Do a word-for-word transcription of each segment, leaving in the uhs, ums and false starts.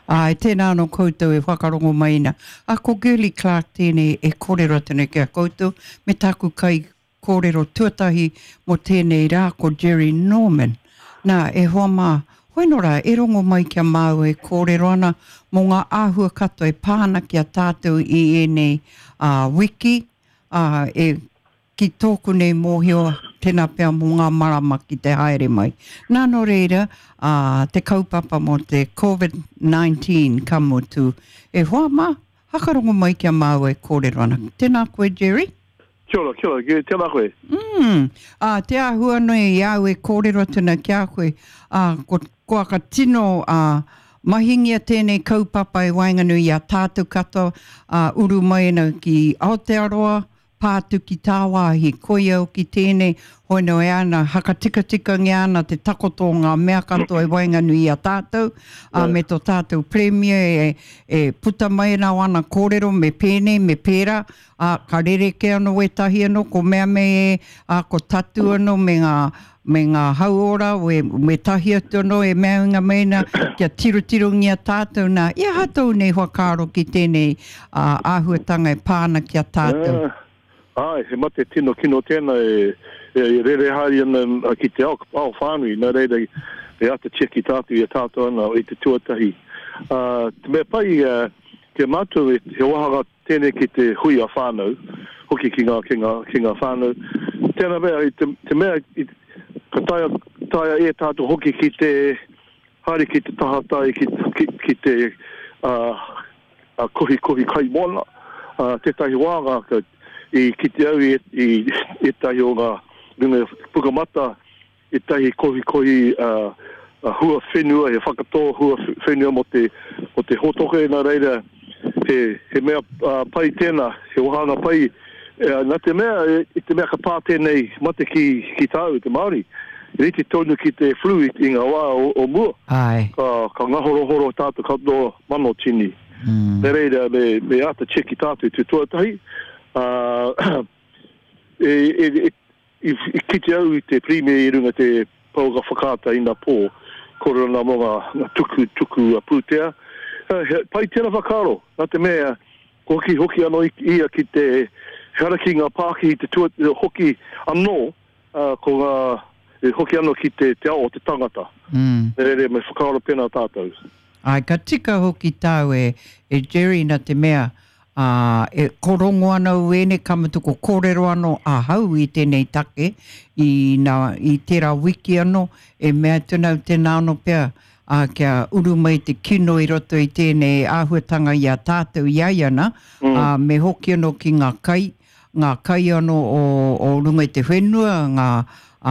Āe, tēnā anō koutou e whakarongo mai ana. A ko Girlie Clarke tēnei e kōrero atu nei ki a koutou, me tāku kai kōrero tuatahi mō tēnei rā ko Jerry Norman. Nā, e hoa mā, hoi nō rā, e rongo mai ki a māua e kōrero ana mō ngā āhua katoa e pā ana ki a tātou i ēnei uh, wiki, uh, e ki tōku nei mōhio, tēnā pea mō ngā marama ki te haere mai. Nā nō reira, uh, te kaupapa mō te COVID nineteen ka mutu. E hoa mā, hakarongo mai ki a māua e kōrero ana. Tēnā koe, Jerry? Kia ora, kia ora, tēnā koe. Mm, uh, te āhua nei i au e kōrero atu nei ki a koe, uh, ko, ko aka tino uh, mahingia tēnei kaupapa e waenganui i a tātou katoa, uh, uru mai ana ki Aotearoa, pātu ki tāwāhi, koia o ki tēnei, hoino e ana, hakatikatikangia ana te takoto o ngā mea katoa e waenganui i a tātou, uh, me tō tātou premier e, e puta mai ana o ana kōrero me pēnei, me pērā, uh, ka rereke anō wētahi anō, ko mea me e, uh, ko tatu anō me ngā, me ngā hauora, we, me tahi atu anō e mea inga meina, kia tirotirongia tātou nā. I aha tōu nei whakaaro ki tēnei uh, āhuatanga e pāna ki a tātou? Uh. Ai, he mate tino kino tēnā e, e, e rere haere ana ki te ao, ao whānui, nā reira e ata tiaki tātou i a tātou ana i te tuatahi. Uh, te mea pai uh, ki a mātou e, he wāhanga tēnei ki te hui a whānau, hoki ki ngā, ki ngā, ki ngā whānau. Tēnā mea, i te, te mea, i, ka taea, taea e tātou hoki ki te haere ki te tahatai, ki, ki, ki te uh, uh, kohi kohi kai moana. Uh, tētahi wāhanga ka i kite au i, i ētahi o ngā runga pukamata, ētahi kohikohi uh, hua whenua, he whakatō hua whenua mō te, mō te hōtoke, nā reira, he, he mea uh, pai tēnā, he wāhanga pai, uh, nā te mea, i te mea ka pā tēnei mate ki, ki tāu, te Māori, rite tonu ki te flu i, i ngā wā o, o mua. Ai. Ka, ka ngahorohoro tātou katoa mano tini. Mm. Nā reira, me, me āta tiaki tātou te tuatahi. Uh, e, e, e, i, i kite au i te premier i runga te pouaka whakaata i ngā pō, kōrero nā mō ngā, ngā tuku, tuku a pūtea. Uh, he, pai tēnā whakaaro, nā te mea, hoki hoki anō ia ki te hara ki ngā pākihi te tua, hoki anō, uh, ko ngā, e hoki anō ki te, te ao o te tangata. Mm. Nā reira, me whakaaro pēnā tātou. Ai, ka tika hoki tāu e, e Jerry nā te mea, Uh, e korongo ana uene, ka mutu ko kōrero anō ahau i tēnei take, i, nā, i tērā wiki anō, e mea atu nau tēnā anō pea, uh, kia uru mai te kino i roto i tēnei āhuatanga i a tātou i ai ana, mm. uh, me hoki anō ki ngā kai, ngā kai anō o, o runga i te whenua, ngā,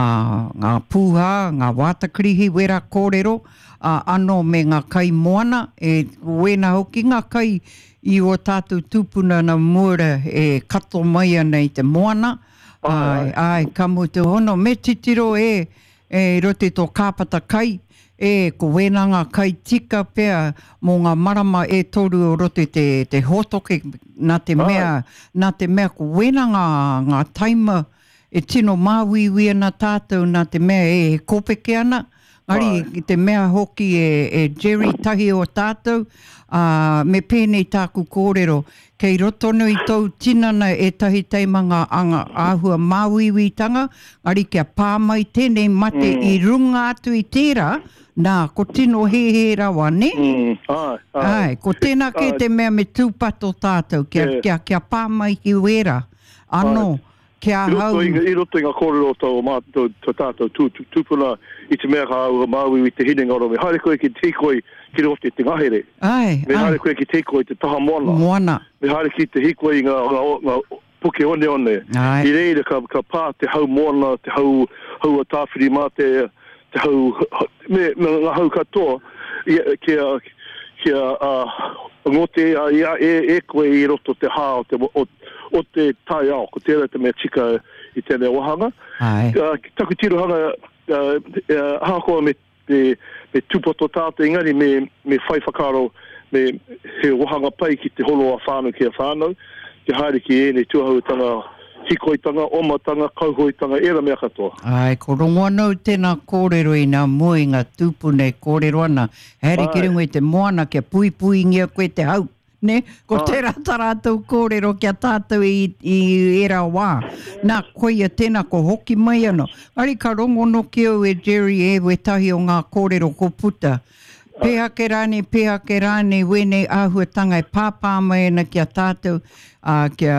uh, ngā pūhā, ngā wātakirihi, wera kōrero, uh, anō me ngā kai moana, e wēnā hoki ngā kai i o tātou tūpuna na mūra e kato mai ana i te moana. Ai, ai, ka mutu hono, me titiro e, e rote tō kāpata kai, e ko wēnā ngā kai tika pea mō ngā marama e toru o rote te, te hōtoke, nā te mea, nā te mea ko wēnā ngā, ngā taima e tino māuiui ana tātou, nā te mea e, e kōpeke ana, Ngari, te mea hoki e, e Jerry tahi o tātou, uh, me pēnei tāku kōrero, kei roto nui tōu tinana e tahi teima ngā anga āhua māuiuitanga, ngari kia pā mai tēnei mate mm. i runga atu i tērā, nā, ko tino hēhē rawa, ne? Mm. Ai, ai. Ai, ko tēnā kē te mea me tūpato tātou, kia, yeah. kia, kia pā mai ki wērā, anō. Ai. Kia I roto hau. i, i roto i ngā kōrero tō mātou, tō tātou tū, tū, tūpuna i te mea ka au māuiui te hinengaro, me haere koe ki te hīkoi ki roto i te ngahere. Ai, Me ai. haere koe ki te hīkoi te taha moana. Moana. Me haere ki te hīkoi i ngā, ngā, ngā puke oneone. Ai. I reira ka, ka pā te hau moana, te hau, hau a tāwhiri mā te, te hau, me, me ngā hau katoa, i, kia, kia uh, ngote a, ia, e, e koe i roto te hā o te, o, o te taiao, ko tērā te mea tika i tēnei wāhanga. Ai. Uh, taku tirohanga, uh, uh, ahakoa me, me, me tūpato tātou, engari me, me whai whakaaro, me he wāhanga pai ki te holo a whānau ki a whānau, te haere ki ēnei tuahautanga Hikoitanga, omatanga, kauhoitanga, era mea katoa. Ai, ko rongo anau tēnā kōrero i nā mua i ngā tūpuna e kōrero ana. Haere ki runga i te moana kia puipuingia koe te hau. Ne? Ko tērā tā rātou kōrero kia tātou i, i era wā. Nā, koia tēnā ko hoki mai anō. Ari ka rongo noki au e Jerry e wetahi o ngā kōrero ko puta. Pēhake rānei, pēhake rānei, wēnei āhuatanga e pāpā mai ana ki a tātou, uh, kia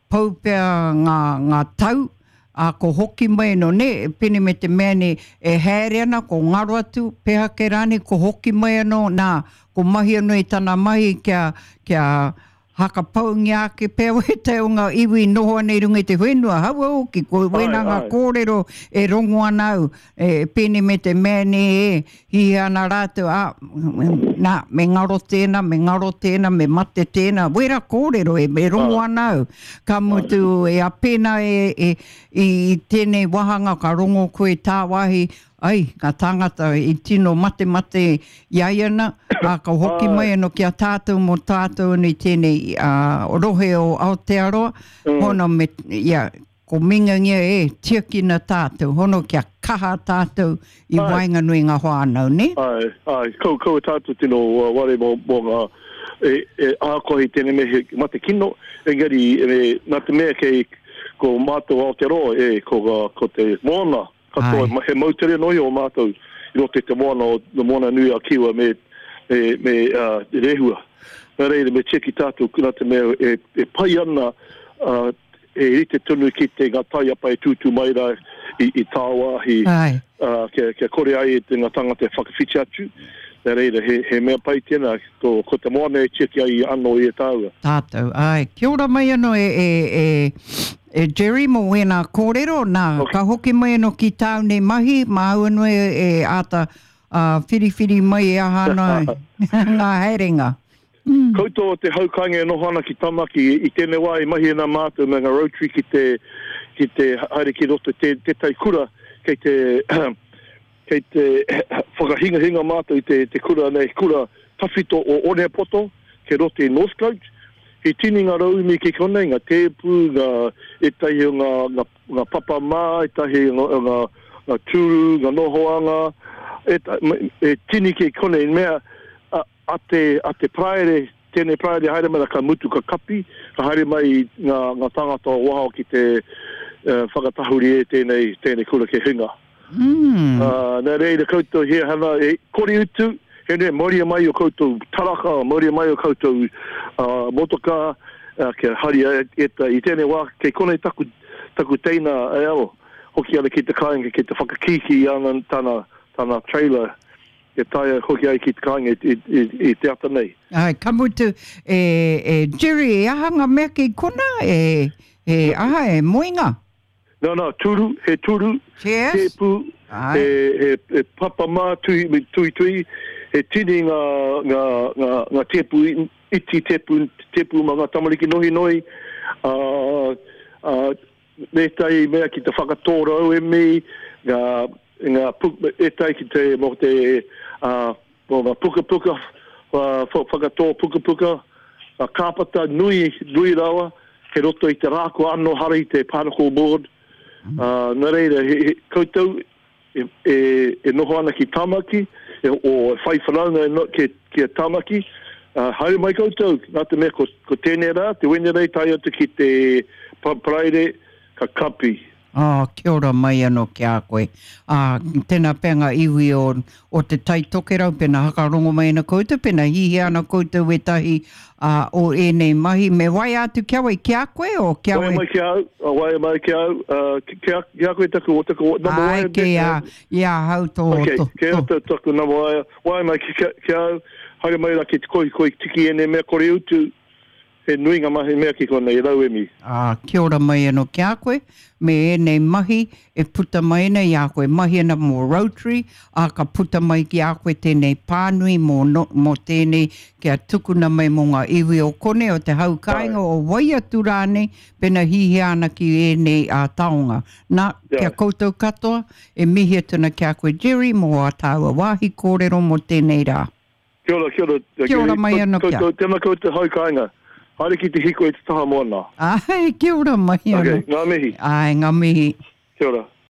pau pea ngā, ngā tau, a ko hoki mai no ne, pene me te mea nei e haere ana, ko ngaro atu, pēhake rānei, ko hoki mai anō, nā, ko mahi anō i tana mahi kia, kia hakapaungia ake pea wētahi o ngā iwi noho ana i runga i te whenua, haua hoki, ko wēnā ngā kōrero e rongo ana au, e, pene me te mea nei e, hihia ana rātou, a, nā, me ngaro tēnā, me ngaro tēnā, me mate tēnā, wera kōrero e, me rongo ana au. Ka mutu e a pēnā e, e, i tēnei wāhanga ka rongo koe tāwāhi, ai, ngā tāngata i tino mate mate i ai ana, a ka hoki mai anō ki a tātou mō tātou anō i tēnei uh, rohe o Aotearoa, mm. hono me, ia, ko mingangia e, tiakina tātou, hono kia kaha tātou i waenganui ngā whānau, ne? Ai, ai, kau, kau tātou tino uh, ware mō, mō ngā, e, e ahakoa i tēnei me he mate kino, engari, e, nā te mea kei ko mātou Aotearoa, e, ko, ko te moana, katoa, he moutere noi o mātou i roto i te moana o te moana nui a Kiwa me, me, me uh, Rehua. Nā reira, me tiaki tātou, nā te mea e, e pai ana uh, e rite tonu ki te ngā taiapa e tūtū mai rā i, i tāwāhi, uh, kia, kia kore ai te ngā tangata e whakawhiti atu. Nā reira, he, he mea pai tēnā, ko, ko te moana e tiaki ai anō i e tāua. Tātou, ai. Kia ora mai anō e, e, e, e Jerry mō wēnā kōrero, nā, okay. Ka hoki mai anō ki tāu nei mahi, māu anō e, e āta uh, whiriwhiri mai e aha ana ngā haerenga. Mm. Koutou o te haukainga e noho ana ki Tamaki, i tēnei wā i mahi ana mātou me ngā Rotary ki te, ki te haere ki roto te, tētahi kura, kei te, kei te whakahingahinga mātou i te, te kura nei, kura tawhito o Onepoto, kei roto i Northcote. He tini ngā rauemi ki konei, ngā tēpu, ngā ētahi o ngā, ngā, ngā papa mā, ētahi o ngā, ngā, ngā tūru, ngā nohoanga, e, e tini ki konei, mea, a, a te, a te Paraire, tēnei Paraire haere mai, ka mutu ka kapi, ka haere mai ngā, ngā tāngata o waho ki te uh, whakatahuri e tēnei, tēnei kura ke hinga. Mm. Uh, nā reira koutou he hana, e kore utu, he nui, mauria mai o koutou taraka, mauria mai o koutou uh, motoka, uh, kia haria e, e, i tēnei wā, kei konei taku, taku teina e aro, hoki ana ki te kāinga, ki te whakakīkī ana tana, tana trailer, e taea hoki ai ki te kāinga i, i, i, i te ata nei. Ai, ka mutu, e, e Jerry, e aha ngā mea ki kona, e, e aha, e moenga? No, no, turu, he turu, tēpu, he, he, he papa mā, tui, tui, tui, he tini ngā, ngā, ngā, ngā tēpu, iti tēpu, tēpu mā ngā tamariki nohi nohi, uh, uh, ētahi mea ki te whakatō rauemi, ngā, ngā puk, ētahi ki te, mō te, uh, mō ngā pukapuka, uh, whakatō pukapuka, uh, kāpata nui, nui rawa, kei roto i te rāko anō hara i te particle board. Uh, nā reira, he, he, koutou e, e, e noho ana ki Tamaki, e, o e whai whanaunga e no, ki, ki a Tamaki, uh, haere mai koutou, nā te mea ko, ko tēnei rā, te Wenerei tae atu ki te Paraire, ka kapi. Oh, kia ora mai anō ki a koe. Ah, tēnā pea ngā iwi o, o te Tai Tokerau, pena hakarongo mai ana koutou, pena hihia ana koutou wētahi uh, o ēnei mahi. Me waia atu kia wai, ki a koe o kia wai? Waia mai ki au, waia mai ki au, uh, ki, a, ki a koe taku, o taku number Ai, waia. Ki a, i a hau tō. Okay, tō, ki a tō taku number waia, waia mai ki, ki au, haere mai rā ki te koi, koi tiki ēnei mea kore utu. He nui ngā mahi mea ki konei, rauemi. Ah, kia ora mai anō ki a koe, me ēnei mahi e puta mai ana i a koe. Mahi ana mō Rotary, a ka puta mai ki a koe tēnei pānui mō, no, mō tēnei kia tukuna mai mō ngā iwi o kone o te hau kāinga o wai atu rānei, pena hihia ana ki ēnei a taonga. Nā, yeah. Kia koutou katoa, e mihi atu ana ki a koe Jerry mō a tāua wāhi kōrero mō tēnei rā. Kia ora, kia ora. Kia ora mai anō kia. Tēnā koutou hau kāinga. Haere ki te hiko i te taha moana. Ai, kia ora mai anō. Okay, ngā mihi. Ai, ngā mihi. Kia ora.